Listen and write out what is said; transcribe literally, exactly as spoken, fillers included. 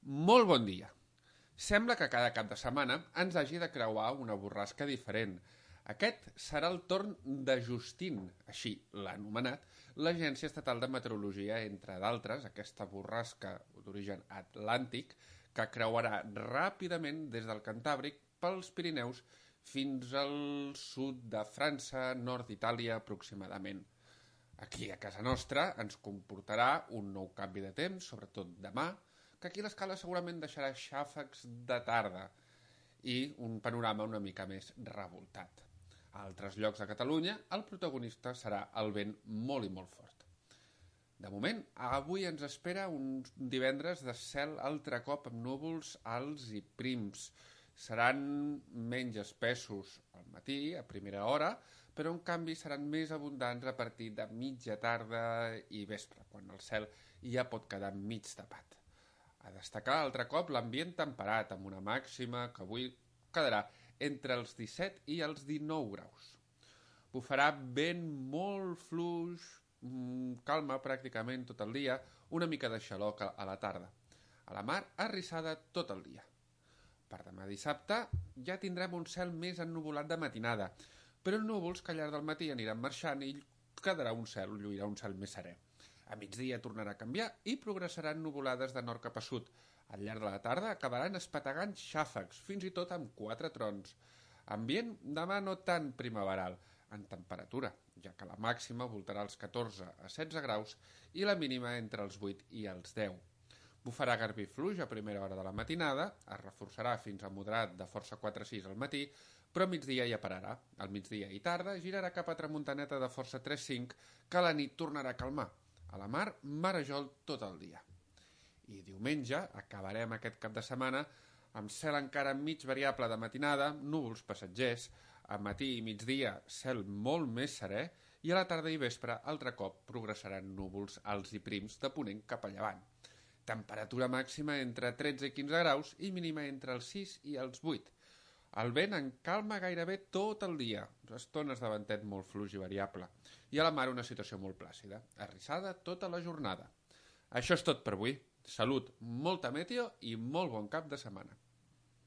Molt bon dia. Sembla que cada cap de setmana ens hagi de creuar una borrasca diferent. Aquest serà el torn de Justin, així l'ha anomenat, l'Agència Estatal de Meteorologia, entre d'altres, aquesta borrasca d'origen atlàntic que creuarà ràpidament des del Cantàbric pels Pirineus fins al sud de França, nord d'Itàlia aproximadament. Aquí a casa nostra ens comportarà un nou canvi de temps, sobretot demà, que aquí l'escala segurament deixarà xàfecs de tarda i un panorama una mica més revoltat. A altres llocs de Catalunya el protagonista serà el vent molt i molt fort. De moment, avui ens espera un divendres de cel altre cop amb núvols alts i prims. Seran menys espessos al matí, a primera hora, però en canvi seran més abundants a partir de mitja tarda i vespre, quan el cel ja pot quedar mig tapat. A destacar altre cop l'ambient temperat, amb una màxima que avui quedarà entre els disset i els dinou graus. Bufarà vent molt fluix, calma pràcticament tot el dia, una mica de xaloc a la tarda. A la mar, arrissada tot el dia. Per demà dissabte ja tindrem un cel més ennuvolat de matinada, però núvols que al llarg del matí aniran marxant i quedarà un cel, lluirà un cel més serè. A migdia tornarà a canviar i progressaran nuvolades de nord cap a sud. Al llarg de la tarda acabaran espetegant xàfecs, fins i tot amb quatre trons. Ambient demà no tan primaveral, en temperatura, ja que la màxima voltarà als catorze a setze graus i la mínima entre els vuit i els deu. Bufarà garbí fluix a primera hora de la matinada, es reforçarà fins a moderat de força quatre a sis al matí, però a migdia ja pararà. Al migdia i tarda girarà cap a tramuntaneta de força tres a cinc, que a la nit tornarà a calmar. A la mar, marejol tot el dia. I diumenge acabarem aquest cap de setmana amb cel encara mig variable de matinada, núvols passatgers, a matí i migdia cel molt més serè i a la tarda i vespre altre cop progressaran núvols alts i prims de ponent cap a llevant. Temperatura màxima entre tretze i quinze graus i mínima entre els sis i els vuit. El vent en calma gairebé tot el dia, estones de ventet molt fluix i variable, i a la mar una situació molt plàcida, arrissada tota la jornada. Això és tot per avui. Salut, molta meteo i molt bon cap de setmana.